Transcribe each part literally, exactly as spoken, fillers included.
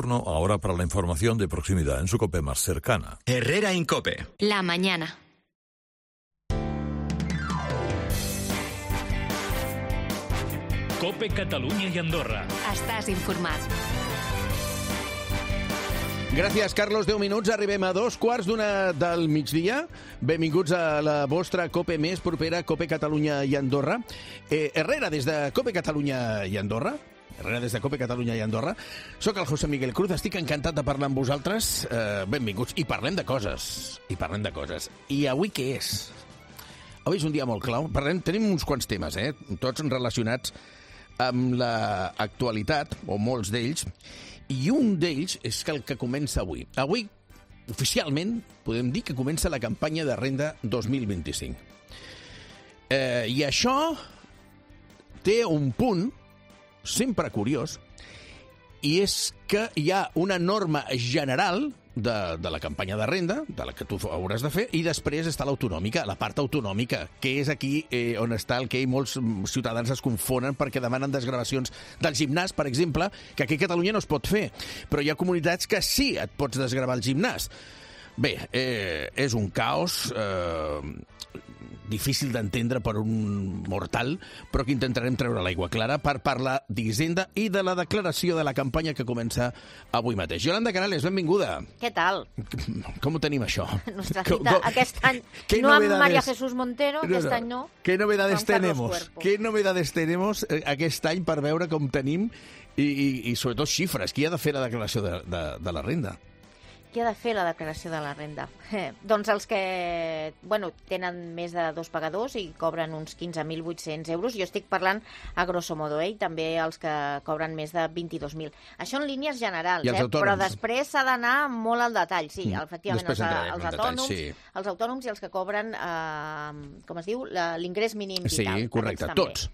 retorno ahora para la información de proximidad en su COPE más cercana. Herrera Incope. La mañana. COPE Catalunya i Andorra. Estàs informat. Gràcies, Carlos. deu minuts. Arribem a dos quarts d'una del migdia. Benvinguts a la vostra COPE més propera, COPE Catalunya i Andorra. Eh, Herrera, des de COPE Catalunya i Andorra. Herrera, des de COPE Catalunya i Andorra. Soc el José Miguel Cruz. Estic encantat de parlar amb vosaltres. Eh, benvinguts. I parlem de coses. I parlem de coses. I avui què és? Avui és un dia molt clau. Parlem, tenim uns quants temes, eh? Tots relacionats amb l'actualitat, o molts d'ells, i un d'ells és el que comença avui. Avui, oficialment, podem dir que comença la campanya de renda dos mil vint-i-cinc. Eh, I això té un punt sempre curiós, i és que hi ha una norma general de, de la campanya de renda, de la que tu hauràs de fer, i després està l'autonòmica, la part autonòmica, que és aquí eh, on està el que molts ciutadans es confonen perquè demanen desgravacions del gimnàs, per exemple, que aquí a Catalunya no es pot fer, però hi ha comunitats que sí et pots desgravar el gimnàs. Bé, eh, és un caos eh, difícil d'entendre per un mortal, però que intentarem treure l'aigua clara per parlar d'Hisenda i de la declaració de la campanya que comença avui mateix. Yolanda Canales, benvinguda. Què tal? Com ho tenim, això? Nostra cita aquest any, no amb María Jesús Montero, aquest any no. ¿Qué novedades tenemos? ¿Qué novedades tenemos aquest any per veure com tenim i, i, i sobretot xifres? Qui ha de fer la declaració de, de, de la renda? Qui ha de fer la declaració de la renda? Eh, doncs els que bueno, tenen més de dos pagadors i cobren uns quinze mil vuit-cents euros. Jo estic parlant a grosso modo, eh? I també els que cobren més de vint-i-dos mil. Això en línies generals, eh? Però després s'ha d'anar molt al detall. Sí, mm. efectivament, els, els, autònoms, detall, sí. els autònoms i els que cobren, eh, com es diu, l'ingrés mínim vital. Sí, correcte, tots.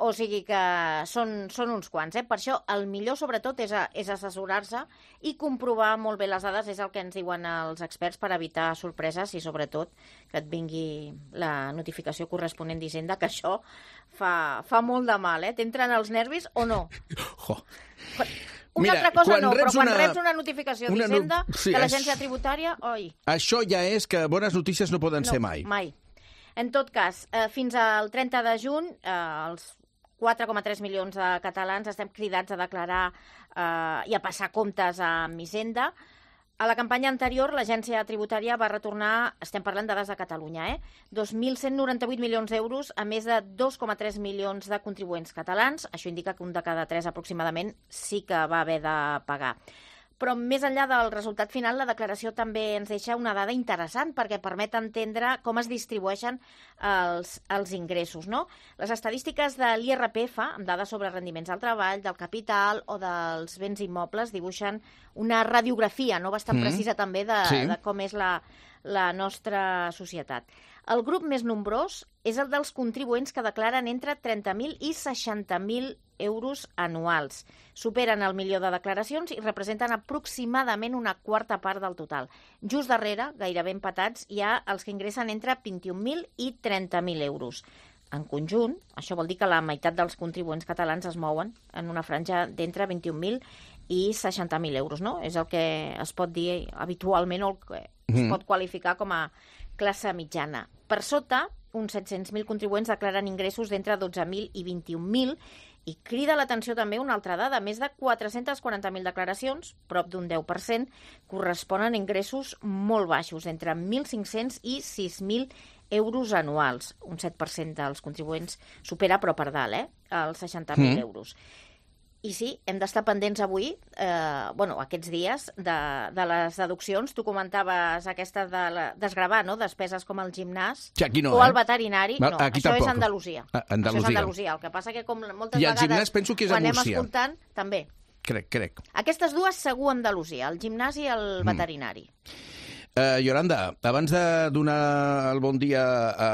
O sigui que són, són uns quants, eh? Per això el millor, sobretot, és, a, és assessorar-se i comprovar molt bé les dades, és el que ens diuen els experts per evitar sorpreses i, sobretot, que et vingui la notificació corresponent d'Hisenda, que això fa, fa molt de mal, eh? T'entren els nervis o no? Jo. Una Mira, altra cosa no, però quan una, reps una notificació d'Hisenda no, sí, de l'agència tributària, oi. Això ja és que bones notícies no poden no, ser mai. mai. En tot cas, eh, fins al trenta de juny, eh, els quatre coma tres milions de catalans estem cridats a declarar eh, i a passar comptes amb Hisenda. A la campanya anterior, l'agència tributària va retornar, estem parlant de dades de Catalunya, eh, dos mil cent noranta-vuit milions d'euros a més de dos coma tres milions de contribuents catalans. Això indica que un de cada tres aproximadament sí que va haver de pagar. Però més enllà del resultat final, la declaració també ens deixa una dada interessant perquè permet entendre com es distribueixen els, els ingressos, no? Les estadístiques de l'I R P F, amb dades sobre rendiments del treball, del capital o dels béns immobles, dibuixen una radiografia no bastant mm. precisa també de, sí. de com és la, la nostra societat. El grup més nombrós és el dels contribuents que declaren entre trenta mil i seixanta mil euros anuals. Superen el milió de declaracions i representen aproximadament una quarta part del total. Just darrere, gairebé empatats, hi ha els que ingressen entre vint-i-un mil i trenta mil euros. En conjunt, això vol dir que la meitat dels contribuents catalans es mouen en una franja d'entre vint-i-un mil i seixanta mil euros, no? És el que es pot dir habitualment o el que es mm. pot qualificar com a classe mitjana. Per sota, uns set-cents mil contribuents declaren ingressos d'entre dotze mil i vint-i-un mil i crida l'atenció també una altra dada. Més de quatre-cents quaranta mil declaracions, prop d'un deu per cent, corresponen a ingressos molt baixos, entre mil cinc-cents i sis mil euros anuals. Un set per cent dels contribuents supera, però per dalt, eh? Els seixanta mil mm. euros. I sí, hem d'estar pendents avui, eh, bueno, aquests dies, de, de les deduccions. Tu comentaves aquesta de la, desgravar, no?, despeses com el gimnàs sí, no, o el eh? veterinari. Va, no, això tampoc. És Andalusia. Ah, Andalusia. Això és Andalusia. El que passa que com moltes I el vegades, gimnàs penso que és quan anem Múrcia. escoltant, també. Crec, crec. Aquestes dues segur Andalusia, el gimnàs i el mm. veterinari. Uh, Yolanda, abans de donar el bon dia a,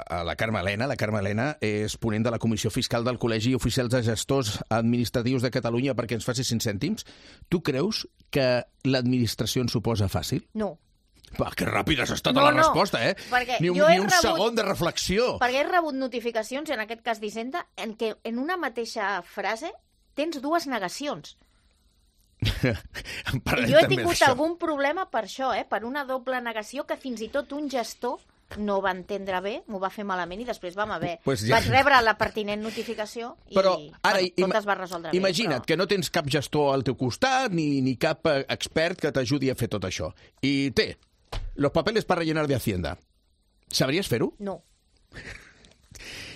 a la Carme Elena, la Carme Elena és ponent de la Comissió Fiscal del Col·legi Oficials de Gestors Administratius de Catalunya perquè ens faci cinc cèntims. Tu creus que l'administració ens ho posa fàcil? No. Va, que ràpida has estat no, a la no, resposta, eh? Ni un, ni un rebut, segon de reflexió. Perquè he rebut notificacions, en aquest cas d'Hisenda, en què en una mateixa frase tens dues negacions. Jo he tingut algun problema per això, eh? Per una doble negació que fins i tot un gestor no va entendre bé, m'ho va fer malament i després vam haver... Pues ja... Vaig rebre la pertinent notificació i però, ara, bueno, tot es va resoldre bé. Imagina't però... que no tens cap gestor al teu costat ni, ni cap expert que t'ajudi a fer tot això. I té los papeles para rellenar de Hacienda. Sabries fer-ho? No.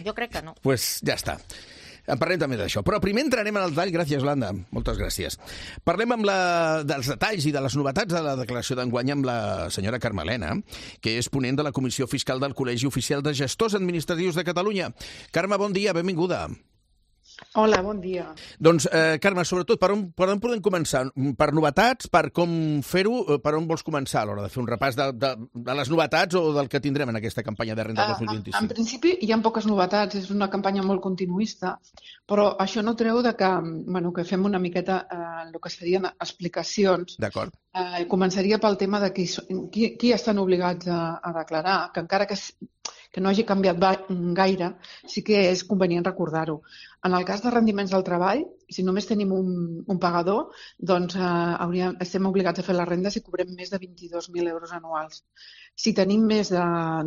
Jo crec que no. Pues ja està. En parlem també d'això. Però primer entrarem en el detall. Gràcies, Landa. Moltes gràcies. Parlem amb la, dels detalls i de les novetats de la declaració d'enguany amb la senyora Carmelena, que és ponent de la Comissió Fiscal del Col·legi Oficial de Gestors Administratius de Catalunya. Carme, bon dia, benvinguda. Hola, bon dia. Doncs, eh, Carme, sobretot, per on, per on podem començar? Per novetats, per com fer-ho, per on vols començar a l'hora de fer un repàs de, de, de les novetats o del que tindrem en aquesta campanya de renda dos mil vint-i-cinc? En, en principi hi ha poques novetats, és una campanya molt continuista, però això no treu de que, bueno, que fem una miqueta eh, el que serien explicacions. D'acord. Eh, començaria pel tema de qui, qui, qui estan obligats a, a declarar, que encara que que no hagi canviat gaire, sí que és convenient recordar-ho. En el cas de rendiments del treball, si només tenim un, un pagador, doncs eh, hauríem, estem obligats a fer la renda si cobrem més de vint-i-dos mil euros anuals. Si tenim més de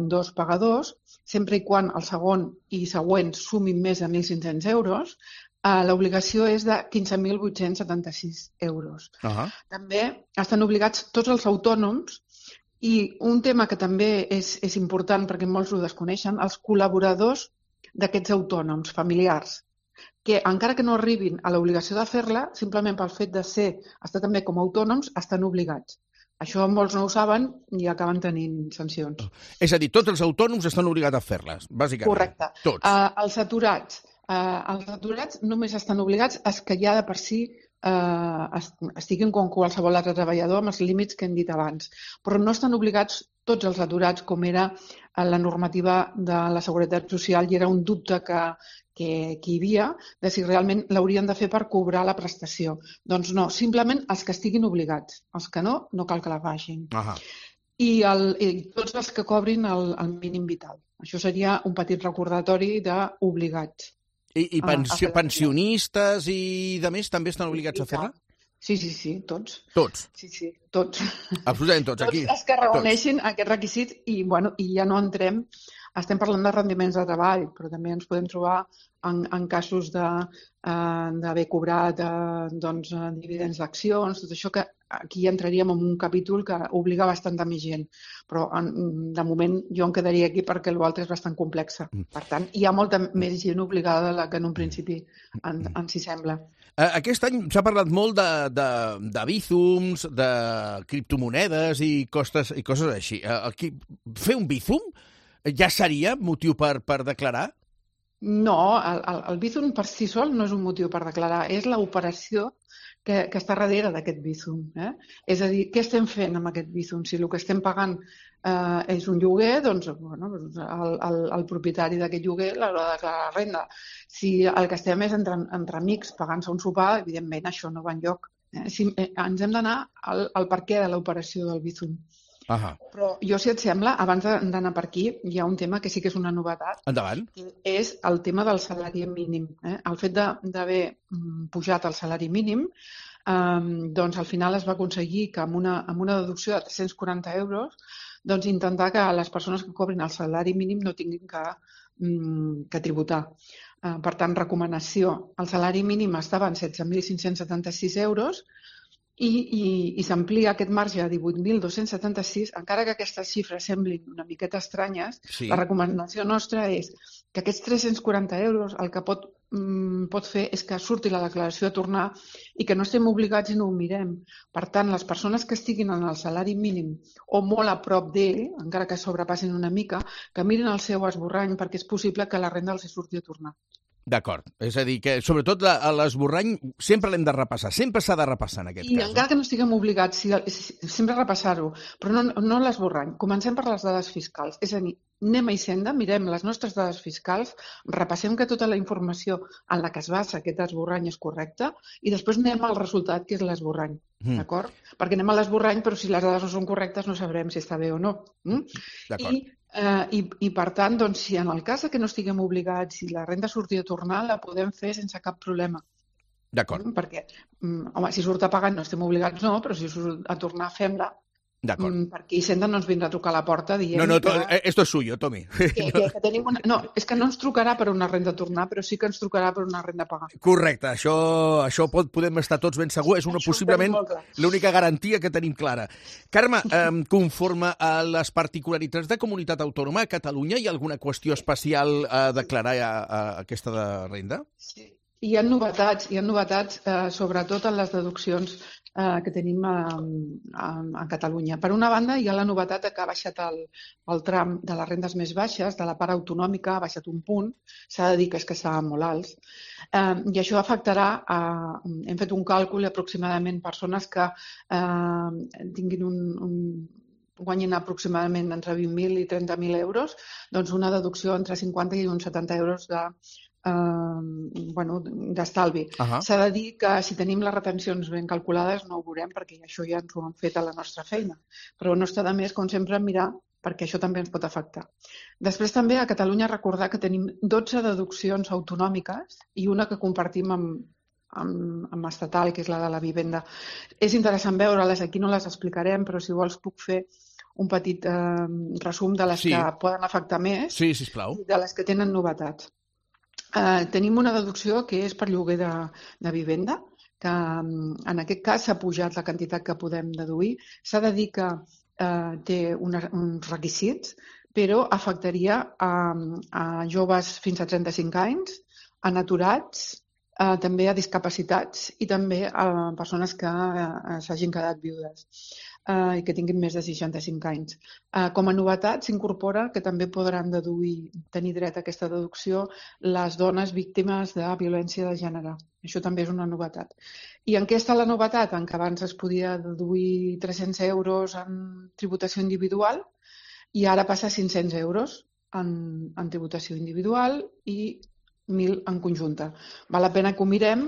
dos pagadors, sempre i quan el segon i següents sumin més de mil cinc-cents euros, eh, l'obligació és de quinze mil vuit-cents setanta-sis euros. Uh-huh. També estan obligats tots els autònoms. I un tema que també és, és important, perquè molts ho desconeixen, els col·laboradors d'aquests autònoms familiars, que encara que no arribin a l'obligació de fer-la, simplement pel fet de ser, estar també com a autònoms, estan obligats. Això molts no ho saben i acaben tenint sancions. És a dir, tots els autònoms estan obligats a fer-les, bàsicament. Correcte. Tots. Uh, els aturats. Uh, els aturats només estan obligats els que ja de per si eh, estiguin com qualsevol altre treballador amb els límits que hem dit abans. Però no estan obligats tots els aturats com era la normativa de la Seguretat Social i era un dubte que, que, que hi havia de si realment l'haurien de fer per cobrar la prestació. Doncs no, simplement els que estiguin obligats. Els que no, no cal que la facin. Ahà. I, el, I tots els que cobrin el, el mínim vital. Això seria un petit recordatori d'obligats. I, i pensio, pensionistes i de més també estan obligats a fer-la? Sí, sí, sí, tots. Tots? Sí, sí, tots. Absolutament tots, aquí. Tots els que reuneixin aquests requisits i, bueno, i ja no entrem, estem parlant de rendiments de treball, però també ens podem trobar en, en casos d'haver eh, cobrat eh, doncs, dividends d'accions, tot això que aquí entraríem en un capítol que obliga bastant de més gent. Però en, de moment jo em quedaria aquí perquè l'altre és bastant complexa. Per tant, hi ha molta més gent obligada de la que en un principi en, ens hi sembla. Aquest any s'ha parlat molt de, de, de bízums, de criptomonedes i, costes, i coses així. Aquí, fer un bízum ja seria motiu per, per declarar? No, el, el, el bízum per si sol no és un motiu per declarar, és l'operació que, que està darrere d'aquest bízum. Eh? És a dir, què estem fent amb aquest bízum? Si el que estem pagant eh, és un lloguer, doncs bueno, el, el, el propietari d'aquest lloguer l'haurà de declarar la renda. Si el que estem és entre, entre amics pagant-se un sopar, evidentment això no va enlloc. Eh? Si, eh, ens hem d'anar al, al per què de l'operació del bízum. Ahà. Però jo, si et sembla, abans d'anar per aquí, hi ha un tema que sí que és una novetat. Endavant. Que és el tema del salari mínim. Eh? El fet d'haver pujat el salari mínim, eh, doncs al final es va aconseguir que amb una, amb una deducció de tres-cents quaranta euros doncs intentar que les persones que cobrin el salari mínim no tinguin que, que tributar. Eh, per tant, recomanació. El salari mínim estava en setze mil cinc-cents setanta-sis euros i, i, i s'amplia aquest marge a divuit mil dos-cents setanta-sis, encara que aquestes xifres semblin una miqueta estranyes, sí. La recomanació nostra és que aquests tres-cents quaranta euros el que pot, mm, pot fer és que surti la declaració a tornar i que no estem obligats i no ho mirem. Per tant, les persones que estiguin en el salari mínim o molt a prop d'ell, encara que sobrepassin una mica, que mirin el seu esborrany perquè és possible que la renda els surti a tornar. D'acord. És a dir, que sobretot l'esborrany sempre l'hem de repassar. Sempre s'ha de repassar en aquest I cas. I encara no? que no estiguem obligats, si, si, sempre repassar-ho, però no, no l'esborrany. Comencem per les dades fiscals. És a dir, anem a Hisenda, mirem les nostres dades fiscals, repassem que tota la informació en la que es basa aquest esborrany és correcta i després anem al resultat, que és l'esborrany. Mm. D'acord? Perquè anem a l'esborrany, però si les dades no són correctes no sabrem si està bé o no. Mm? D'acord. I Uh, i, i per tant, doncs, si en el cas que no estiguem obligats, si la renda surti a tornar, la podem fer sense cap problema. D'acord. Perquè, home, si surt a pagar no estem obligats, no, però si surt a tornar, fem-la. D'acord. Perquè Hisenda no ens vindrà a trucar a la porta dient No, no, to, que... esto es suyo, Tomi. Que, que, que tenim una... No, és que no ens trucarà per una renda a tornar, però sí que ens trucarà per una renda a pagar. Correcte, això, això pot, podem estar tots ben segurs, és una, Això possiblement ho tenim molt clar. l'única garantia que tenim clara. Carme, eh, conforme a les particularitats de comunitat autònoma, a Catalunya hi ha alguna qüestió especial a declarar a, a aquesta de renda? Sí. Hi ha novetats, hi ha novetats eh, sobretot en les deduccions eh, que tenim a, a, a Catalunya. Per una banda, hi ha la novetat que ha baixat el, el tram de les rendes més baixes, de la part autonòmica, ha baixat un punt, s'ha de dir que és que estaven molt alts, eh, i això afectarà, a, hem fet un càlcul, aproximadament persones que eh, tinguin un, un guanyin aproximadament entre vint mil i trenta mil euros, doncs una deducció entre cinquanta i uns setanta euros de Uh, bueno, d'estalvi. Uh-huh. S'ha de dir que si tenim les retencions ben calculades no ho veurem perquè això ja ens ho han fet a la nostra feina. Però no està de més, com sempre, mirar perquè això també ens pot afectar. Després també a Catalunya recordar que tenim dotze deduccions autonòmiques i una que compartim amb, amb, amb estatal, que és la de la vivenda. És interessant veure-les, aquí no les explicarem, però si vols puc fer un petit eh, resum de les Sí. que poden afectar més Sí, sisplau. i de les que tenen novetats. Uh, tenim una deducció que és per lloguer de, de vivenda, que um, en aquest cas s'ha pujat la quantitat que podem deduir. S'ha de dir que uh, té una, uns requisits, però afectaria a, a joves fins a trenta-cinc anys, a aturats, uh, també a discapacitats i també a persones que uh, s'hagin quedat viudes uh, i que tinguin més de seixanta-cinc anys. Uh, com a novetat s'incorpora que també podran deduir, tenir dret a aquesta deducció les dones víctimes de violència de gènere. Això també és una novetat. I en què està la novetat? En que abans es podia deduir tres-cents euros en tributació individual i ara passa a cinc-cents euros en, en tributació individual i mil en conjunta. Val la pena que ho mirem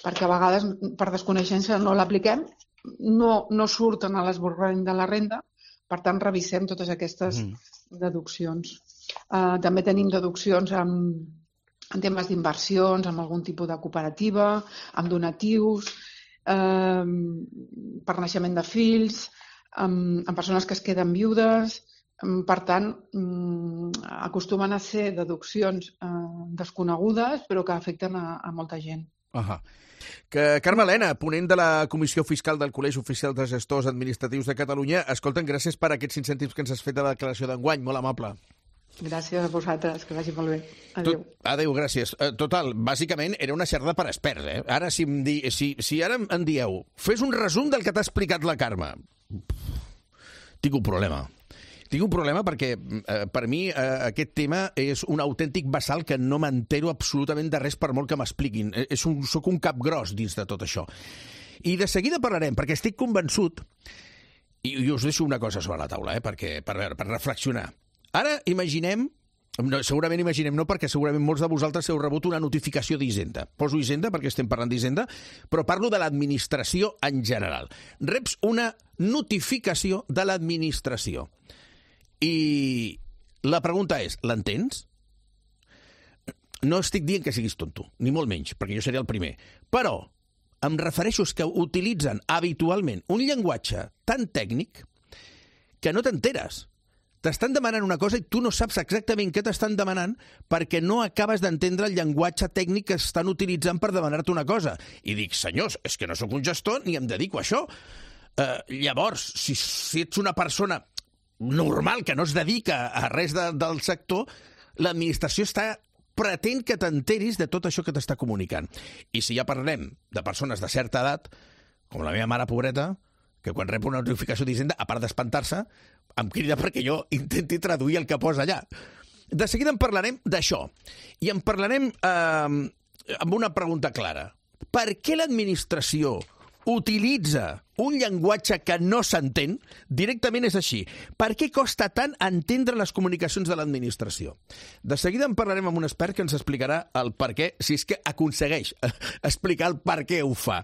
perquè a vegades per desconeixença no l'apliquem, no, no surten a l'esborrany de la renda, per tant revisem totes aquestes mm. deduccions. Uh, també tenim deduccions en, en temes d'inversions, amb algun tipus de cooperativa, amb donatius, uh, per naixement de fills, amb, amb persones que es queden viudes. Per tant, acostumen a ser deduccions eh, desconegudes, però que afecten a, a molta gent. Uh-huh. Que Carme Elena, ponent de la Comissió Fiscal del Col·legi Oficial de Gestors Administratius de Catalunya, escolten, gràcies per aquests incentius que ens has fet a la declaració d'enguany, molt amable. Gràcies a vosaltres, que vagi molt bé. Adéu. Tot, adéu, gràcies. Total, bàsicament era una xerrada per experts, eh? Ara, si, em di, si, si ara em dieu, fes un resum del que t'ha explicat la Carme. Tinc un problema. Tinc un problema perquè, eh, per mi, eh, aquest tema és un autèntic basal que no m'entero absolutament de res per molt que m'expliquin. És un, soc un cap gros dins de tot això. I de seguida parlarem, perquè estic convençut, i, i us deixo una cosa sobre la taula, eh, perquè, per, veure, per reflexionar. Ara imaginem, no, segurament imaginem no, perquè segurament molts de vosaltres heu rebut una notificació d'Hisenda. Poso Hisenda perquè estem parlant d'Hisenda, però parlo de l'administració en general. Reps una notificació de l'administració. I la pregunta és, l'entens? No estic dient que siguis tonto, ni molt menys, perquè jo seré el primer. Però em refereixo a que utilitzen habitualment un llenguatge tan tècnic que no t'enteres. T'estan demanant una cosa i tu no saps exactament què t'estan demanant perquè no acabes d'entendre el llenguatge tècnic que estan utilitzant per demanar-te una cosa. I dic, senyors, és que no sóc un gestor ni em dedico a això. Uh, llavors, si, si ets una persona normal, que no es dedica a res de, del sector, l'administració està pretén que t'enteris de tot això que t'està comunicant. I si ja parlem de persones de certa edat, com la meva mare pobreta, que quan rep una notificació d'Hisenda, a part d'espantar-se, em crida perquè jo intenti traduir el que posa allà. De seguida en parlarem d'això. I en parlarem eh, amb una pregunta clara. Per què l'administració utilitza un llenguatge que no s'entén? Directament és així. Per què costa tant entendre les comunicacions de l'administració? De seguida en parlarem amb un expert que ens explicarà el per què, si és que aconsegueix explicar el per què ho fa.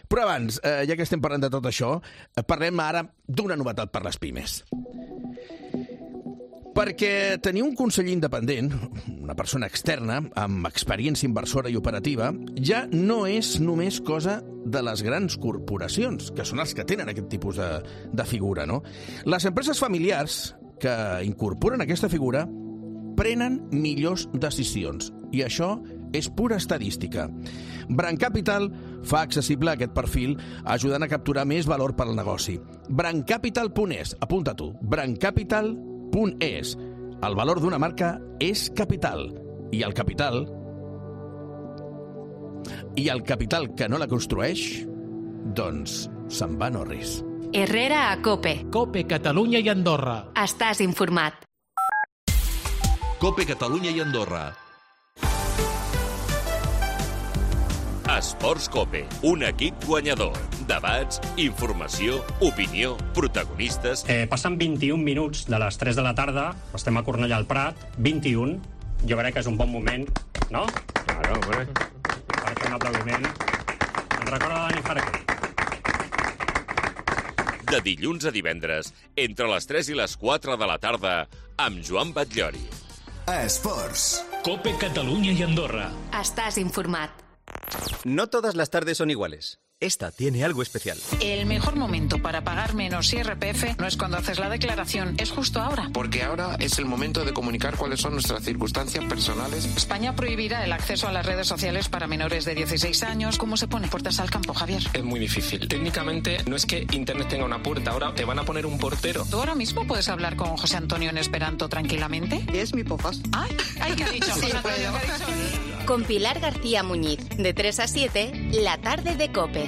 Però abans, eh, ja que estem parlant de tot això, parlem ara d'una novetat per les pimes. Perquè tenir un conseller independent, una persona externa, amb experiència inversora i operativa, ja no és només cosa de les grans corporacions, que són els que tenen aquest tipus de, de figura, no? Les empreses familiars que incorporen aquesta figura prenen millors decisions, i això és pura estadística. Brand Capital fa accessible aquest perfil, ajudant a capturar més valor per al negoci. brand capital punt es, apunta tu, brand capital punt es. El valor d'una marca és capital, i el capital i el capital que no la construeix, doncs se'n va no res. Herrera a COPE. COPE Catalunya i Andorra. Estàs informat. COPE Catalunya i Andorra. Esports COPE, un equip guanyador. Debats, informació, opinió, protagonistes... Eh, passen vint-i-un minuts de les tres de la tarda, estem a Cornellà al Prat, vint-i-un, jo crec que és un bon moment, no? Claro, bueno. Per fer un aplaudiment. Ens recorda Dani Farquer. De dilluns a divendres, entre les tres i les quatre de la tarda, amb Joan Batllori. Esports. COPE Catalunya i Andorra. Estàs informat. No todas las tardes son iguales. Esta tiene algo especial. El mejor momento para pagar menos I R P F no es cuando haces la declaración, es justo ahora. Porque ahora es el momento de comunicar cuáles son nuestras circunstancias personales. España prohibirá el acceso a las redes sociales para menores de dieciséis años. ¿Cómo se pone puertas al campo, Javier? Es muy difícil. Técnicamente no es que Internet tenga una puerta, ahora te van a poner un portero. ¿Tú ahora mismo puedes hablar con José Antonio en Esperanto tranquilamente? Es mi podcast. Ay, ay, ¿qué ha dicho? Sí, José Antonio, ¿qué ha dicho? Con Pilar García Muñiz, de tres a siete, la tarde de COPE.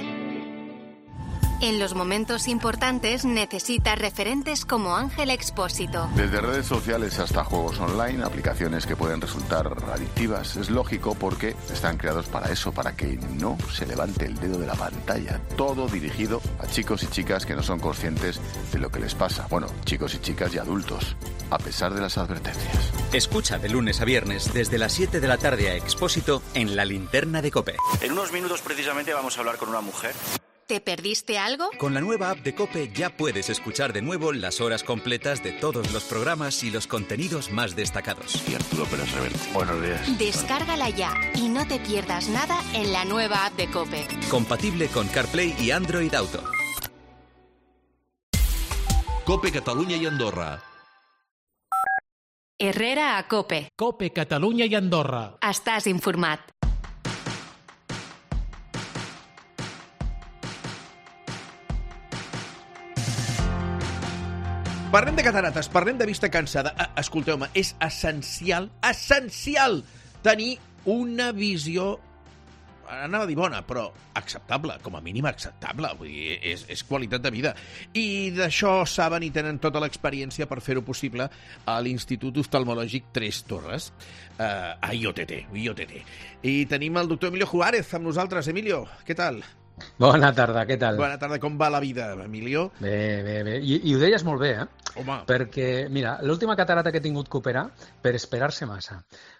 En los momentos importantes necesitas referentes como Ángel Expósito. Desde redes sociales hasta juegos online, aplicaciones que pueden resultar adictivas. Es lógico porque están creados para eso, para que no se levante el dedo de la pantalla. Todo dirigido a chicos y chicas que no son conscientes de lo que les pasa. Bueno, chicos y chicas y adultos, a pesar de las advertencias. Escucha de lunes a viernes desde las siete de la tarde a Expósito en La Linterna de COPE. En unos minutos precisamente vamos a hablar con una mujer. ¿Te perdiste algo? Con la nueva app de COPE ya puedes escuchar de nuevo las horas completas de todos los programas y los contenidos más destacados. Y Arturo Pérez Reverte. Buenos días. Descárgala ya y no te pierdas nada en la nueva app de COPE. Compatible con CarPlay y Android Auto. COPE Catalunya i Andorra. Herrera a COPE. COPE Catalunya i Andorra. Estàs informat. Parlem de catarates, parlem de vista cansada. Escolteu-me, és essencial, essencial tenir una visió, anava a dir bona, però acceptable, com a mínim acceptable. Vull dir, és, és qualitat de vida. I d'això saben i tenen tota l'experiència per fer-ho possible a l'Institut Oftalmològic Tres Torres, eh, a I O T T, I O T T. I tenim el doctor Emilio Juárez amb nosaltres. Emilio, què tal? Bona tarda, què tal? Bona tarda, com va la vida, Emilio? Bé, bé, bé. I, i ho deies molt bé, eh? Home. Perquè, mira, l'última catarata que he tingut que operar, per esperar-se massa.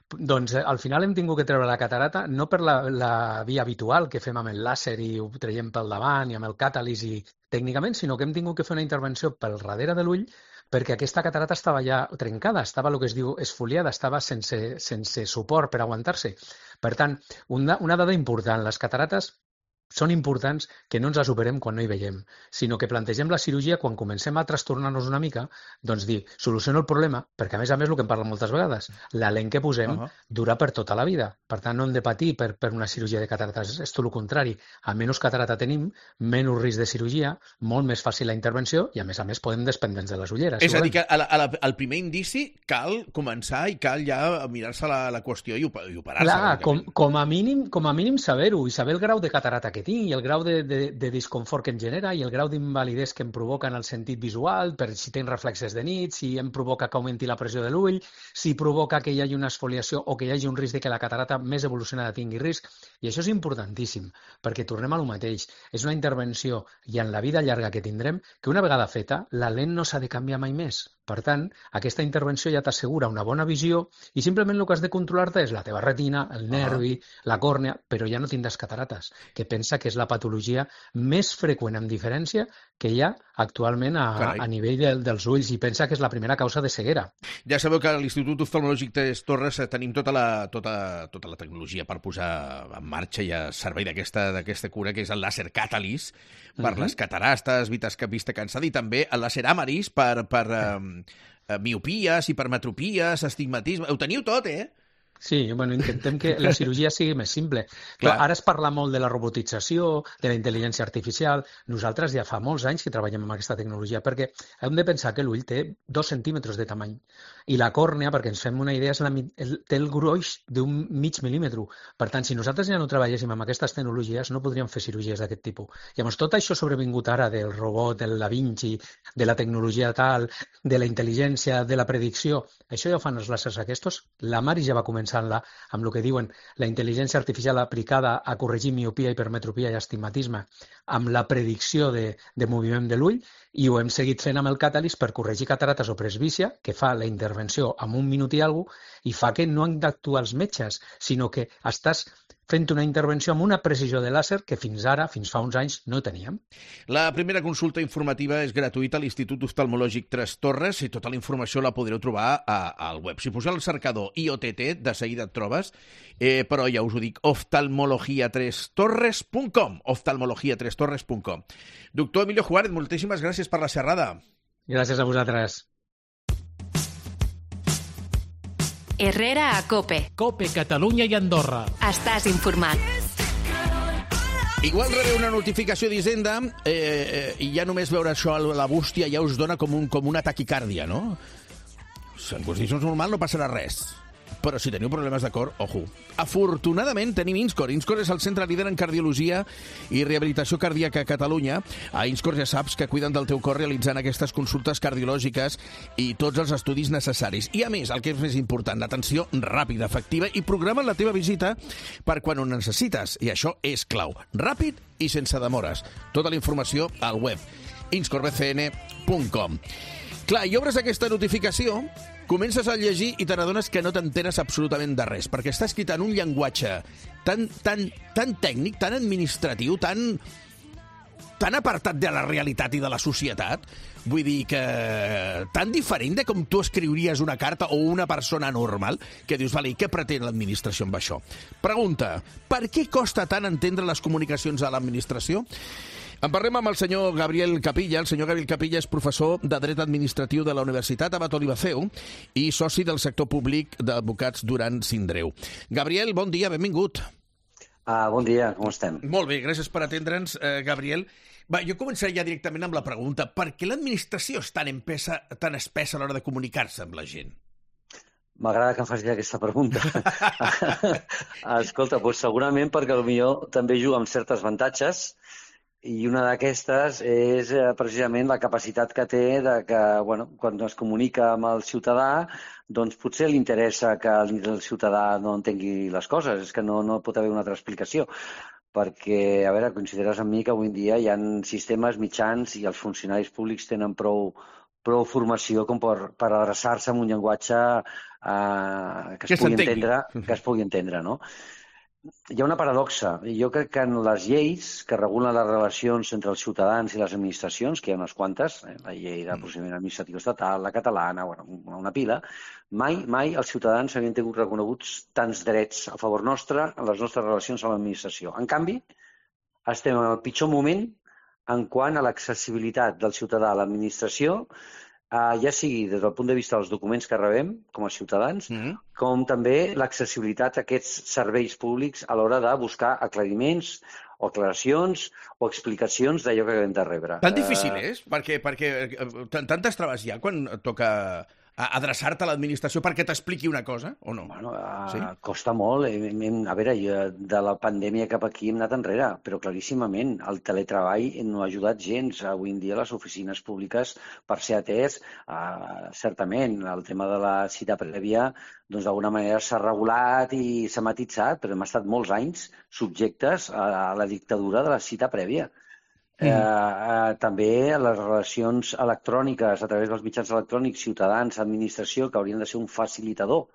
Doncs eh, al final hem tingut que treure la catarata no per la, la via habitual que fem amb el làser i ho traiem pel davant i amb el càtalis i tècnicament, sinó que hem tingut que fer una intervenció pel darrere de l'ull perquè aquesta catarata estava ja trencada, estava el que es diu esfoliada, estava sense, sense suport per aguantar-se. Per tant, una, una dada important, les catarates són importants que no ens les operem quan no hi veiem, sinó que plantegem la cirurgia quan comencem a trastornar-nos una mica, doncs dir, soluciono el problema, perquè a més a més el que em parla moltes vegades, la lent que posem uh -huh. dura per tota la vida. Per tant, no hem de patir per, per una cirurgia de catarates, és tot el contrari. A menys catarata tenim, menys risc de cirurgia, molt més fàcil la intervenció i a més a més podem despendre'ns de les ulleres. És a dir, que a la, a la, al primer indici cal començar i cal ja mirar-se la, la qüestió i, i operar-se. Clar, com, com, a mínim, com a mínim saber-ho i saber el grau de catarata que tinc i el grau de, de, de disconfort que em genera i el grau d'invalidesa que em provoca en el sentit visual, per si tinc reflexes de nit, si em provoca que augmenti la pressió de l'ull, si provoca que hi hagi una esfoliació o que hi hagi un risc de que la catarata més evolucionada tingui risc. I això és importantíssim, perquè tornem a lo mateix. És una intervenció i en la vida llarga que tindrem, que una vegada feta, la lent no s'ha de canviar mai més. Per tant, aquesta intervenció ja t'assegura una bona visió i simplement el que has de controlar-te és la teva retina, el nervi, la còrnea, però ja no tindràs catarates, que pensa que és la patologia més freqüent amb diferència que hi ha actualment a, a nivell de, dels ulls, i pensa que és la primera causa de ceguera. Ja sabeu que a l'Institut Oftalmològic Tres Torres tenim tota la, tota, tota la tecnologia per posar en marxa i a servei d'aquesta cura, que és el làser Catalyst per uh-huh. les catarastes, vista cansada, i també el làser Amaris per, per um, miopies, hipermetropies, astigmatisme... Ho teniu tot, eh? Sí, bueno, intentem que la cirurgia sigui més simple. Clar. Ara es parla molt de la robotització, de la intel·ligència artificial. Nosaltres ja fa molts anys que treballem amb aquesta tecnologia, perquè hem de pensar que l'ull té dos centímetres de tamany i la còrnea, perquè ens fem una idea, és la, té el gruix d'un mig mil·límetre. Per tant, si nosaltres ja no treballéssim amb aquestes tecnologies, no podríem fer cirurgies d'aquest tipus. Llavors, tot això sobrevingut ara del robot, del Da Vinci, de la tecnologia tal, de la intel·ligència, de la predicció, això ja ho fan els làsers aquests. La Mari ja va començar La, amb el que diuen la intel·ligència artificial aplicada a corregir miopia, hipermetropia i astigmatisme amb la predicció de, de moviment de l'ull, i ho hem seguit fent amb el Catalyst per corregir catarates o presbícia, que fa la intervenció en un minut i alguna cosa, i fa que no han d'actuar els metges, sinó que estàs fent una intervenció amb una precisió de làser que fins ara, fins fa uns anys, no teníem. La primera consulta informativa és gratuïta a l'Institut Oftalmològic Tres Torres, i tota la informació la podreu trobar a, al web. Si poseu el cercador I O T T, de seguida et trobes, eh, però ja us ho dic, oftalmologia tres torres punt com, oftalmologia tres torres punt com. Doctor Emilio Juárez, moltíssimes gràcies per la xerrada. Gràcies a vosaltres. Herrera a COPE. COPE, Catalunya i Andorra. Estàs informat. Igual rebeu una notificació d'Hisenda eh, eh, i ja només veure això a la bústia ja us dona com, un, com una taquicàrdia, no? En condicions normals no passarà res. Però si teniu problemes de cor, ojo. Afortunadament tenim Inscor. Inscor és el centre líder en cardiologia i rehabilitació cardíaca a Catalunya. A Inscor ja saps que cuiden del teu cor realitzant aquestes consultes cardiològiques i tots els estudis necessaris. I a més, el que és més important, l'atenció ràpida, efectiva, i programen la teva visita per quan ho necessites. I això és clau. Ràpid i sense demores. Tota la informació al web inscor b c n punt com. Clar, i obres aquesta notificació, comences a llegir i te n'adones que no t'enteres absolutament de res, perquè està escrit en un llenguatge tan, tan, tan tècnic, tan administratiu, tan, tan apartat de la realitat i de la societat, vull dir que tan diferent de com tu escriuries una carta o una persona normal, que dius, vale, i què pretén l'administració amb això? Pregunta, per què costa tant entendre les comunicacions a l'administració? En parlem amb el senyor Gabriel Capilla. El senyor Gabriel Capilla és professor de Dret Administratiu de la Universitat Abat Olivaceu i soci del sector públic d'advocats Duran Sindreu. Gabriel, bon dia, benvingut. Ah, bon dia, com estem? Molt bé, gràcies per atendre'ns, eh, Gabriel. Va, jo començaré ja directament amb la pregunta. Per què l'administració és tan, empesa, tan espessa a l'hora de comunicar-se amb la gent? M'agrada que em facis aquesta pregunta. Escolta, doncs segurament perquè potser també juga amb certes avantatges, i una d'aquestes és eh, precisament la capacitat que té de que, bueno, quan es comunica amb el ciutadà, doncs potser li interessa que el ciutadà no entengui les coses, és que no, no pot haver una altra explicació. Perquè, a veure, consideres amb mi que avui en dia hi ha sistemes mitjans i els funcionaris públics tenen prou, prou formació com per, per adreçar-se amb un llenguatge eh, que, es que, pugui entendre, que es pugui entendre, no? Hi ha una paradoxa. Jo crec que en les lleis que regulen les relacions entre els ciutadans i les administracions, que hi ha unes quantes, eh, la llei de procediment administratiu estatal, la catalana, bueno, una pila, mai, mai els ciutadans havien tingut reconeguts tants drets a favor nostre en les nostres relacions amb l'administració. En canvi, estem en el pitjor moment en quant a l'accessibilitat del ciutadà a l'administració, Uh, ja sigui des del punt de vista dels documents que rebem com a ciutadans, mm-hmm. com també l'accessibilitat a aquests serveis públics a l'hora de buscar aclariments o aclaracions o explicacions d'allò que hem de rebre. Tan difícil uh... és? Perquè, perquè tantes traves hi ha quan toca adreçar-te a l'administració perquè t'expliqui una cosa, o no? Bueno, uh, sí? Costa molt. A veure, de la pandèmia cap aquí hem anat enrere, però claríssimament el teletreball no ha ajudat gens. Avui en dia les oficines públiques, per ser atès, uh, certament, el tema de la cita prèvia doncs d'alguna manera s'ha regulat i s'ha matitzat, però hem estat molts anys subjectes a la dictadura de la cita prèvia. Mm. Eh, eh, també les relacions electròniques a través dels mitjans electrònics, ciutadans, administració, que haurien de ser un facilitador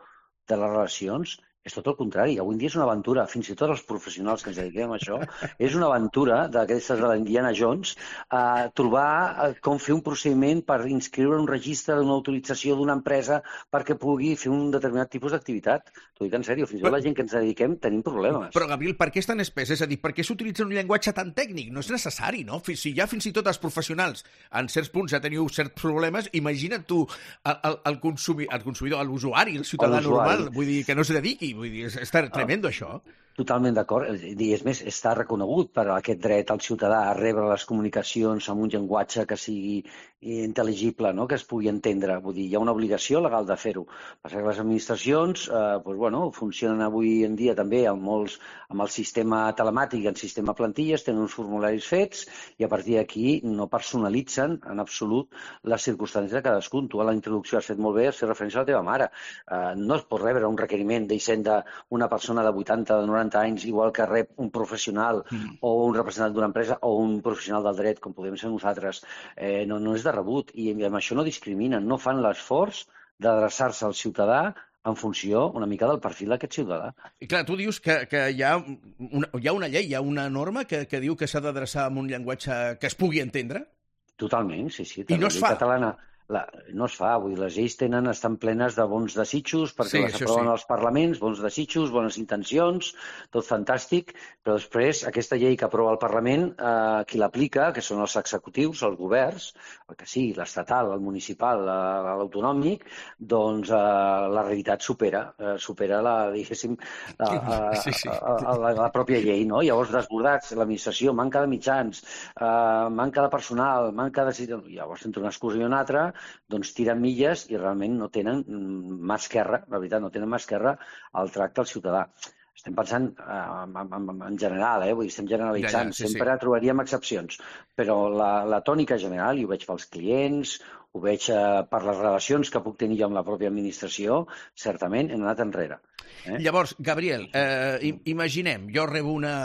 de les relacions, És tot el contrari. Avui en dia és una aventura. Fins i tot els professionals que ens dediquem a això, és una aventura d'aquestes de l'Indiana Jones, a trobar com fer un procediment per inscriure un registre d'una autorització d'una empresa perquè pugui fer un determinat tipus d'activitat. T'ho dic en sèrio, fins i tot la gent que ens dediquem tenim problemes. Però, Gabriel, per què és tan espès? És a dir, per què s'utilitza un llenguatge tan tècnic? No és necessari, no? Si ja fins i tot els professionals en certs punts ja teniu certs problemes, imagina't tu el, el, el, consumi, el consumidor, l'usuari, el ciutadà normal, vull dir, que no s'hi dediqui. Vull dir, està tremendo, això. Totalment d'acord. I és més, està reconegut per aquest dret al ciutadà a rebre les comunicacions amb un llenguatge que sigui intel·ligible, no? Que es pugui entendre. Vull dir, hi ha una obligació legal de fer-ho. Passa que les administracions eh, doncs, bueno, funcionen avui en dia també amb, molts, amb el sistema telemàtic, el sistema plantilles, tenen uns formularis fets i a partir d'aquí no personalitzen en absolut les circumstàncies de cadascun. Tu a la introducció has fet molt bé, has fet referència a la teva mare. Eh, no es pot rebre un requeriment d'Hisenda una persona de vuitanta, de noranta anys, igual que rep un professional mm. o un representant d'una empresa o un professional del dret, com podem ser nosaltres. Eh, no, no és de rebut i amb això no discriminen, no fan l'esforç d'adreçar-se al ciutadà en funció una mica del perfil d'aquest ciutadà. I clar, tu dius que, que hi, ha una, hi ha una llei, hi ha una norma que, que diu que s'ha d'adreçar amb un llenguatge que es pugui entendre? Totalment, sí, sí. I no es fa? Catalana... La, no es fa, vull dir, les lleis tenen, estan plenes de bons desitjos perquè sí, les aproven sí. als parlaments, bons desitjos, bones intencions, tot fantàstic, però després aquesta llei que aprova el Parlament, eh, qui l'aplica, que són els executius, els governs, el que sigui, l'estatal, el municipal, l'autonòmic, doncs eh, la realitat supera, eh, supera la, diguéssim, la, a, sí, sí. A, a, la, la pròpia llei, no? Llavors, desbordats, l'administració, manca de mitjans, eh, manca de personal, manca de... Llavors, entre una excusa i una altra, doncs tiren milles i realment no tenen mà esquerra, la veritat, no tenen mà esquerra al tracte al ciutadà. Estem pensant eh, en, en, en general, eh? Vull dir, estem generalitzant, ja, ja, sí, sempre sí. Trobaríem excepcions, però la, la tònica general, i ho veig pels clients, ho veig eh, per les relacions que puc tenir jo amb la pròpia administració, certament hem anat enrere. Eh? Llavors, Gabriel, eh, imaginem, jo rebo una,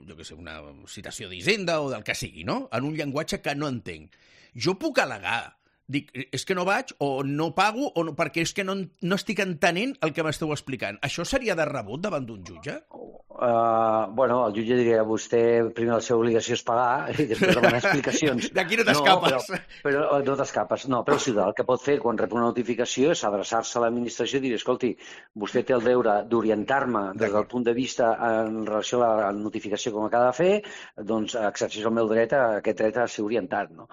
jo què sé, una citació d'Hisenda o del que sigui, no? En un llenguatge que no entenc. Jo puc al·legar dic, és que no vaig, o no pago, o no, perquè és que no, no estic entenent el que m'esteu explicant. Això seria de rebut davant d'un jutge? Uh, bueno, el jutge diria, vostè, primer la seva obligació és pagar i després demanar explicacions. D'aquí no t'escapes. No, però, però no t'escapes. No, però el ciutadà el que pot fer quan rep una notificació és adreçar-se a l'administració i dir, escolti, vostè té el deure d'orientar-me des del punt de vista en relació a la notificació com acaba de fer, doncs exerceix el meu dret a aquest dret a ser orientat, no?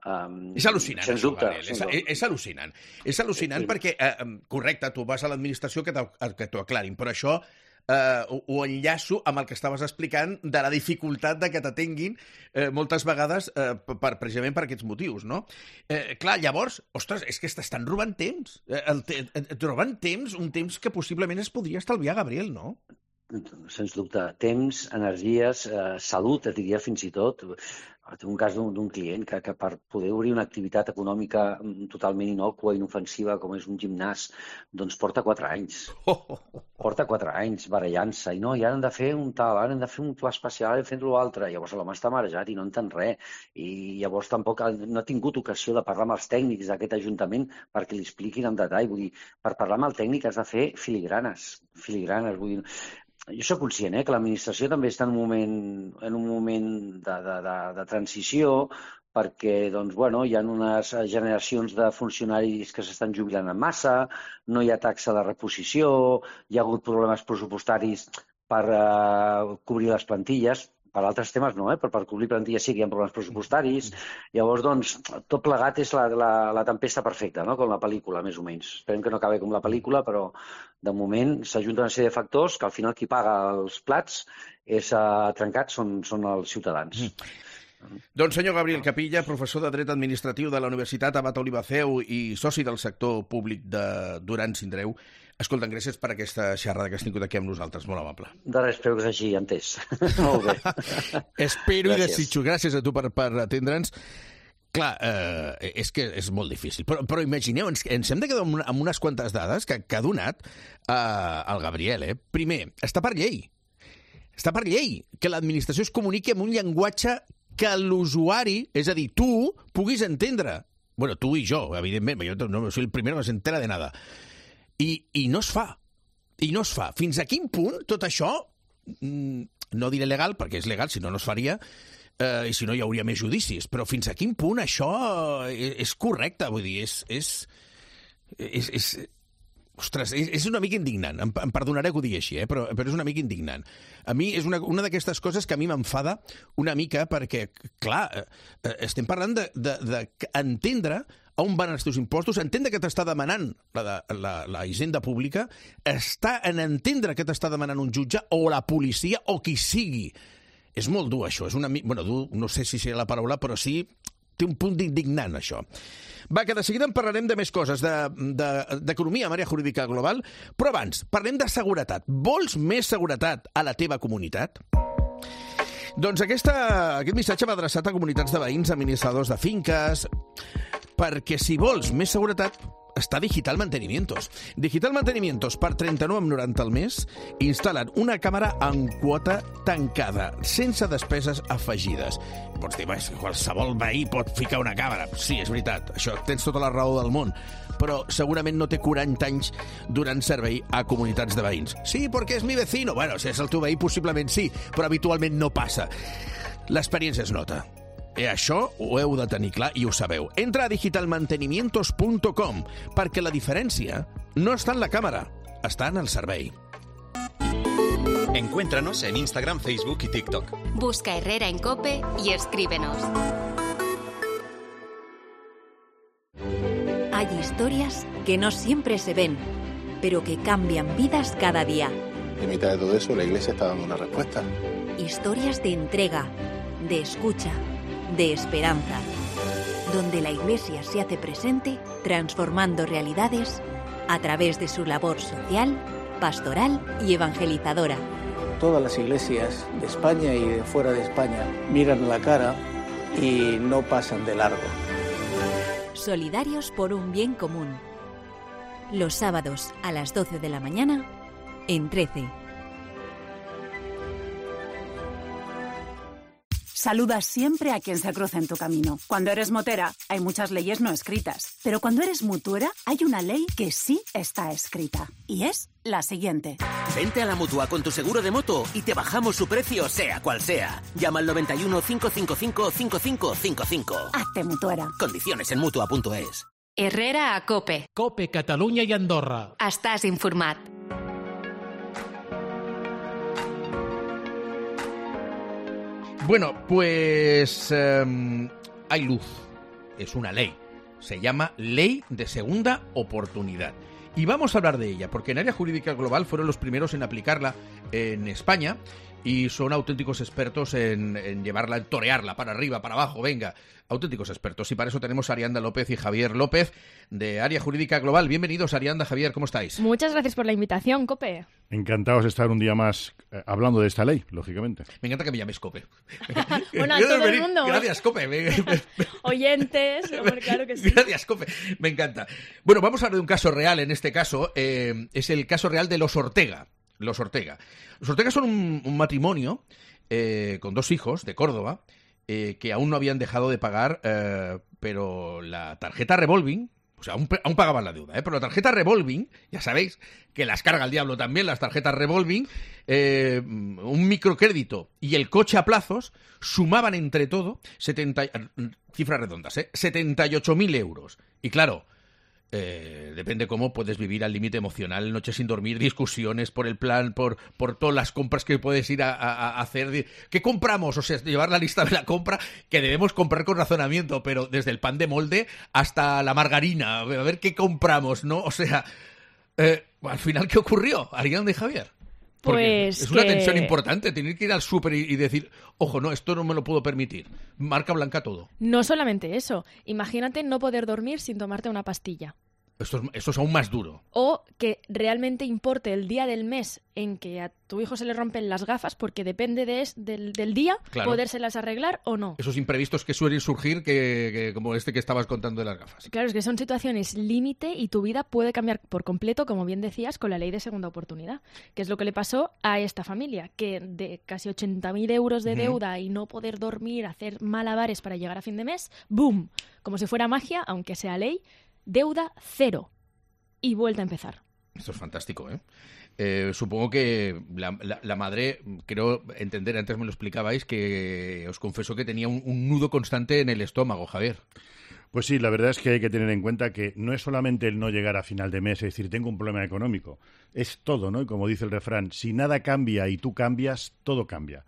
Um, és al·lucinant, sens això, dubte, Gabriel. És, és, és al·lucinant. És al·lucinant sí. perquè, eh, correcte, tu vas a l'administració que t'ho aclarin, però això eh, ho, ho enllaço amb el que estaves explicant de la dificultat de que t'atenguin eh, moltes vegades eh, per, precisament per aquests motius, no? Eh, clar, llavors, ostres, és que t'estan robant temps. Eh, el te, et roben temps, un temps que possiblement es podria estalviar, Gabriel, no? Sens dubte. Temps, energies, eh, salut, et diria fins i tot. Tinc un cas d'un client que, que per poder obrir una activitat econòmica totalment inocua, inofensiva, com és un gimnàs, doncs porta quatre anys. Porta quatre anys barallant-se. I no, i ara han de fer un tal, ara han de fer un pla especial i fent-lo altre. Llavors l'home està marejat i no entén res. I llavors tampoc no ha tingut ocasió de parlar amb els tècnics d'aquest ajuntament perquè li expliquin en detall. Vull dir, per parlar amb el tècnic has de fer filigranes. Filigranes, vull dir... Jo soc conscient eh, que l'administració també està en un moment, en un moment de, de, de, de transició perquè doncs, bueno, hi ha unes generacions de funcionaris que s'estan jubilant en massa, no hi ha taxa de reposició, hi ha hagut problemes pressupostaris per eh, cobrir les plantilles, per altres temes no, eh? però per cobrir plantilles sí que hi ha problemes pressupostaris. Llavors, doncs, tot plegat és la, la, la tempesta perfecta, no? Com la pel·lícula, més o menys. Esperem que no acabi com la pel·lícula, però de moment s'ajunten una sèrie de factors que al final qui paga els plats és uh, trencat són, són els ciutadans. Mm. Doncs senyor Gabriel Capilla, professor de Dret Administratiu de la Universitat Abat Olivaceu i soci del sector públic de Duran Sindreu, escolta'm, gràcies per aquesta xerrada que has tingut aquí amb nosaltres, molt amable. De res, espero que s'hagi entès. Molt bé. Espero gràcies. I desitjo. Gràcies a tu per, per atendre'ns. Clar, eh, és que és molt difícil, però, però imagineu, ens, ens hem de quedar amb, una, amb unes quantes dades que, que ha donat eh, el Gabriel. Eh? Primer, està per llei. Està per llei que l'administració es comuniqui amb un llenguatge que l'usuari, és a dir, tu, puguis entendre. Bueno, tu i jo, evidentment, jo no soy el primero que se entera de nada. I, i no es fa. i no es fa. Fins a quin punt tot això, no diré legal, perquè és legal, si no, no es faria, eh, i si no hi hauria més judicis, però fins a quin punt això és correcte? Vull dir, és... és, és, és Ostres, és, és una mica indignant. Em, em perdonaré que ho digui així, eh? però, però és una mica indignant. A mi és una, una d'aquestes coses que a mi m'enfada una mica perquè, clar, eh, estem parlant d'entendre de, de on van els teus impostos, entendre que t'està demanant la, la, la hisenda pública, està en entendre que t'està demanant un jutge o la policia o qui sigui. És molt dur, això. És una, bueno, dur, no sé si serà la paraula, però sí... té un punt d'indignant, això. Va, que de seguida en parlarem de més coses, d'economia, de, de, amb àrea jurídica global, però abans, parlem de seguretat. Vols més seguretat a la teva comunitat? Doncs aquesta, aquest missatge va adreçat a comunitats de veïns, administradors de finques, perquè si vols més seguretat, està Digital Mantenimientos. Digital Mantenimientos, per trenta-nou coma noranta al mes, instal·len una càmera en quota tancada, sense despeses afegides. Pots dir, qualsevol veí pot ficar una càmera. Sí, és veritat, això tens tota la raó del món, però segurament no té quaranta anys donant servei a comunitats de veïns. Sí, perquè és mi vecino. Bueno, si és el teu veí, possiblement sí, però habitualment no passa. L'experiència es nota. I això ho heu de tenir clar i ho sabeu. Entra a digital mantenimientos punt com perquè la diferència no està en la càmera, està en el servei. Encuéntranos en Instagram, Facebook y TikTok. Busca Herrera en COPE y escríbenos. Hay historias que no siempre se ven, pero que cambian vidas cada día. En mitad de todo eso, la Iglesia está dando una respuesta. Historias de entrega, de escucha, de esperanza, donde la Iglesia se hace presente transformando realidades a través de su labor social, pastoral y evangelizadora. Todas las iglesias de España y de fuera de España miran la cara y no pasan de largo. Solidarios por un bien común. Los sábados a las doce de la mañana en trece. Saluda siempre a quien se cruza en tu camino. Cuando eres motera, hay muchas leyes no escritas. Pero cuando eres mutuera, hay una ley que sí está escrita. Y es la siguiente. Vente a la Mutua con tu seguro de moto y te bajamos su precio, sea cual sea. Llama al noventa y uno, cinco cinco cinco, cinco cinco cinco cinco. Hazte mutuera. Condiciones en mutua punto es. Herrera a COPE. COPE, Catalunya i Andorra. Estàs informat. Bueno, pues eh, hay luz. Es una ley. Se llama Ley de Segunda Oportunidad. Y vamos a hablar de ella, porque en Área Jurídica Global fueron los primeros en aplicarla en España y son auténticos expertos en, en llevarla, en torearla para arriba, para abajo, venga, auténticos expertos. Y para eso tenemos a Arianda López y Javier López de Área Jurídica Global. Bienvenidos, Arianda, Javier, ¿cómo estáis? Muchas gracias por la invitación, COPE. Encantados de estar un día más eh, hablando de esta ley, lógicamente. Me encanta que me llames COPE. Bueno, a todo el mundo. Gracias, COPE. Oyentes, hombre, claro que sí. Gracias, COPE. Me encanta. Bueno, vamos a hablar de un caso real en este caso. Eh, es el caso real de los Ortega. Los Ortega. Los Ortega son un, un matrimonio eh, con dos hijos de Córdoba eh, que aún no habían dejado de pagar, eh, pero la tarjeta revolving, o sea, aún, aún pagaban la deuda, ¿eh? Pero la tarjeta revolving, ya sabéis que las carga el diablo también, las tarjetas revolving, eh, un microcrédito y el coche a plazos sumaban entre todo setenta, cifras redondas, ¿eh? setenta y ocho mil euros. Y claro, Eh, depende cómo puedes vivir al límite emocional, noches sin dormir, discusiones por el plan, por, por todas las compras que puedes ir a, a, a hacer. ¿Qué compramos? O sea, llevar la lista de la compra que debemos comprar con razonamiento, pero desde el pan de molde hasta la margarina, a ver qué compramos, ¿no? O sea, eh, al final, ¿qué ocurrió, Arianda y Javier? Porque pues es una que... tensión importante, tener que ir al súper y, y decir, ojo, no, esto no me lo puedo permitir. Marca blanca todo. No solamente eso. Imagínate no poder dormir sin tomarte una pastilla. Esto es, esto es aún más duro. O que realmente importe el día del mes en que a tu hijo se le rompen las gafas, porque depende de es, del, del día claro. podérselas arreglar o no. Esos imprevistos que suelen surgir, que, que como este que estabas contando de las gafas. Claro, es que son situaciones límite y tu vida puede cambiar por completo, como bien decías, con la ley de segunda oportunidad, que es lo que le pasó a esta familia, que de casi ochenta mil euros de deuda uh-huh. y no poder dormir, hacer malabares para llegar a fin de mes, ¡boom! Como si fuera magia, aunque sea ley, deuda cero. Y vuelta a empezar. Esto es fantástico, ¿eh? Eh, supongo que la, la, la madre, creo entender, antes me lo explicabais, que os confesó que tenía un, un nudo constante en el estómago, Javier. Pues sí, la verdad es que hay que tener en cuenta que no es solamente el no llegar a final de mes, es decir, tengo un problema económico, es todo, ¿no? Y como dice el refrán, si nada cambia y tú cambias, todo cambia.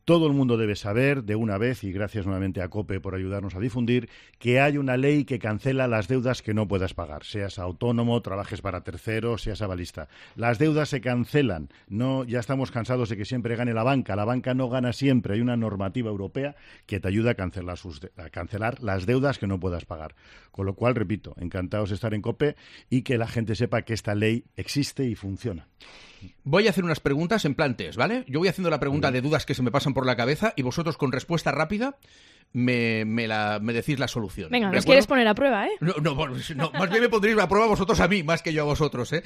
Todo el mundo debe saber de una vez, y gracias nuevamente a COPE por ayudarnos a difundir, que hay una ley que cancela las deudas que no puedas pagar. Seas autónomo, trabajes para terceros, seas avalista. Las deudas se cancelan. No, ya estamos cansados de que siempre gane la banca. La banca no gana siempre. Hay una normativa europea que te ayuda a cancelar, sus de- a cancelar las deudas que no puedas pagar. Con lo cual, repito, encantados de estar en COPE y que la gente sepa que esta ley existe y funciona. Voy a hacer unas preguntas en plan test, ¿vale? Yo voy haciendo la pregunta de dudas que se me pasan por la cabeza y vosotros con respuesta rápida me, me, la, me decís la solución. Venga, ¿de nos acuerdo? quieres poner a prueba, ¿eh? No, no, no, más bien me pondréis a prueba vosotros a mí, más que yo a vosotros, ¿eh?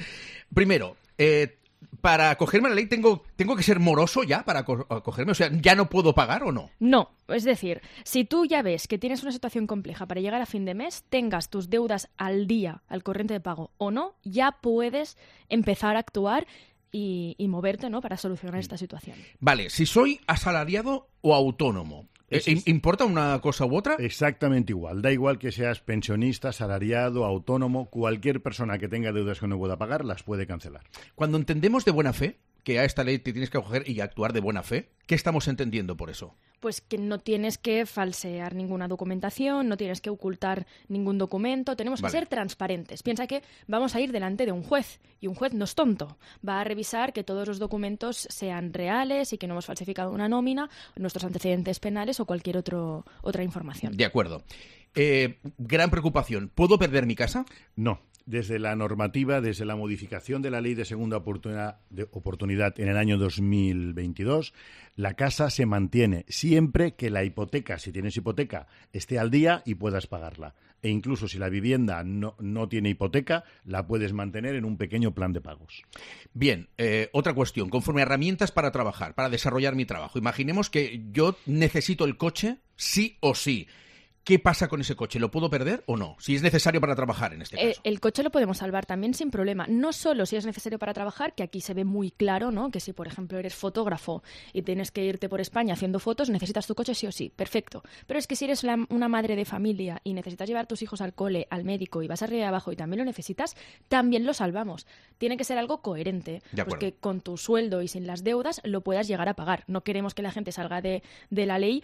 Primero, eh, para acogerme a la ley, ¿tengo, ¿tengo que ser moroso ya para aco- acogerme? O sea, ¿ya no puedo pagar o no? No, es decir, si tú ya ves que tienes una situación compleja para llegar a fin de mes, tengas tus deudas al día, al corriente de pago o no, ya puedes empezar a actuar y, y moverte, ¿no?, para solucionar esta situación. Vale, si soy asalariado o autónomo, Es- ¿eh, ¿importa una cosa u otra? Exactamente igual. Da igual que seas pensionista, asalariado, autónomo, cualquier persona que tenga deudas que no pueda pagar las puede cancelar. Cuando entendemos de buena fe que a esta ley te tienes que acoger y actuar de buena fe, ¿qué estamos entendiendo por eso? Pues que no tienes que falsear ninguna documentación, no tienes que ocultar ningún documento, tenemos que Vale. ser transparentes. Piensa que vamos a ir delante de un juez y un juez no es tonto. Va a revisar que todos los documentos sean reales y que no hemos falsificado una nómina, nuestros antecedentes penales o cualquier otro, otra información. De acuerdo. Eh, gran preocupación. ¿Puedo perder mi casa? No. Desde la normativa, desde la modificación de la ley de segunda oportunidad, de oportunidad en el año dos mil veintidós, la casa se mantiene siempre que la hipoteca, si tienes hipoteca, esté al día y puedas pagarla. E incluso si la vivienda no, no tiene hipoteca, la puedes mantener en un pequeño plan de pagos. Bien, eh, otra cuestión. Conforme a herramientas para trabajar, para desarrollar mi trabajo. Imaginemos que yo necesito el coche sí o sí. ¿Qué pasa con ese coche? ¿Lo puedo perder o no? Si es necesario para trabajar, en este Eh, caso. el coche lo podemos salvar también sin problema. No solo si es necesario para trabajar, que aquí se ve muy claro, ¿no? Que si, por ejemplo, eres fotógrafo y tienes que irte por España haciendo fotos, necesitas tu coche sí o sí. Perfecto. Pero es que si eres la- una madre de familia y necesitas llevar a tus hijos al cole, al médico y vas arriba y abajo y también lo necesitas, también lo salvamos. Tiene que ser algo coherente. De Pues acuerdo. que con tu sueldo y sin las deudas lo puedas llegar a pagar. No queremos que la gente salga de, de la ley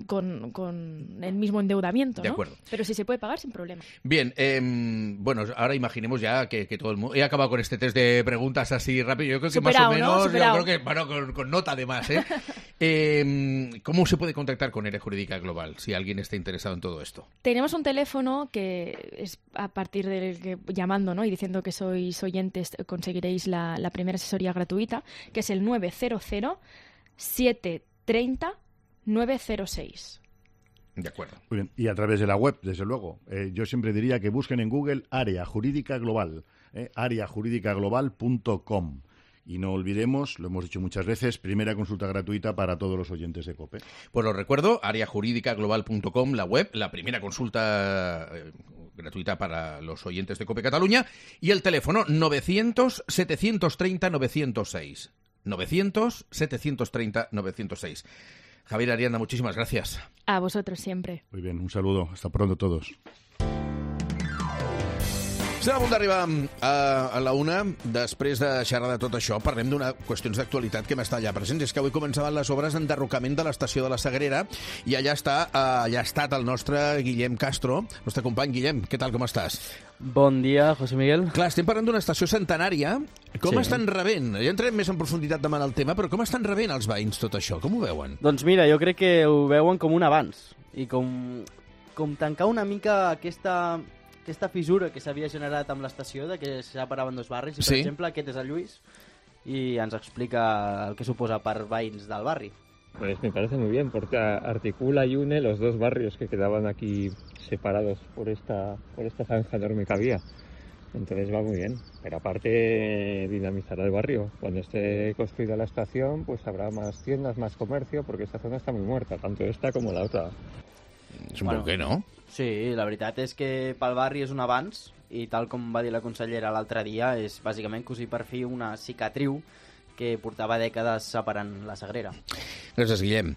con, con el mismo endeudamiento, De ¿no? acuerdo. Pero si se puede pagar sin problema. Bien, eh, bueno, ahora imaginemos ya que, que todo el mundo... He acabado con este test de preguntas así rápido. Yo creo que Superado, más o ¿no? menos... Superado. Yo creo que, bueno, con, con nota además, ¿eh? eh, ¿Cómo se puede contactar con Área Jurídica Global si alguien está interesado en todo esto? Tenemos un teléfono que es a partir del que llamando, ¿no?, y diciendo que sois oyentes conseguiréis la, la primera asesoría gratuita, que es el nueve cero cero, siete tres cero, nueve cero seis. De acuerdo. Muy bien. Y a través de la web, desde luego. Eh, yo siempre diría que busquen en Google Área Jurídica Global, eh, área jurídica global punto com. Y no olvidemos, lo hemos dicho muchas veces, primera consulta gratuita para todos los oyentes de COPE. Pues lo recuerdo, área jurídica global punto com, la web, la primera consulta eh, gratuita para los oyentes de COPE Cataluña, y el teléfono novecientos, setecientos treinta, novecientos seis. novecientos, setecientos treinta, novecientos seis. Javier Arianda, muchísimas gracias. A vosotros siempre. Muy bien, un saludo. Hasta pronto todos. Estem a punt d'arribar a, a la una. Després de xerrar de tot això, parlem d'una qüestions d'actualitat que m'està allà present. És que avui començaven les obres d'enderrocament de l'estació de la Sagrera i allà està, allà ha estat el nostre Guillem Castro, nostre company. Guillem, què tal, com estàs? Bon dia, José Miguel. Clar, estem parlant d'una estació centenària. Com Sí. estan rebent? Ja entrem més en profunditat demà en el tema, però com estan rebent els veïns tot això? Com ho veuen? Doncs mira, jo crec que ho veuen com un avanç i com, com tancar una mica aquesta, aquesta fissura que s'havia generat amb l'estació, de que se separaven dos barris. I, per Sí. exemple, aquest és el Lluís i ens explica el que suposa per veïns del barri. Pues me parece muy bien, porque articula y une los dos barrios que quedaban aquí separados por esta, por esta zanja enorme que había. Entonces va muy bien, pero aparte dinamizará el barrio. Cuando esté construida la estación, pues habrá más tiendas, más comercio, porque esta zona está muy muerta, tanto esta como la otra. És un bueno, que no? Sí, la veritat és que pel barri és un avanç i tal com va dir la consellera l'altre dia, és bàsicament cosir per fi una cicatriu que portava dècades separant la Sagrera. Gràcies, Guillem.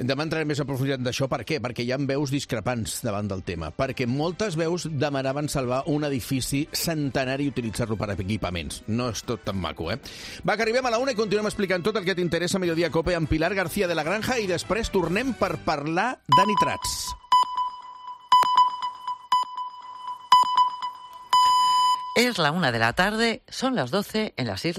Demà entrarem més a profunditat d'això. Per què? Perquè hi ha veus discrepants davant del tema. Perquè moltes veus demanaven salvar un edifici centenari i utilitzar-lo per equipaments. No és tot tan maco, eh? Va, que arribem a la una i continuem explicant tot el que t'interessa a Mediodía Cope amb Pilar García de la Granja i després tornem per parlar de nitrats. Es la una de la tarde, son las doce en las Islas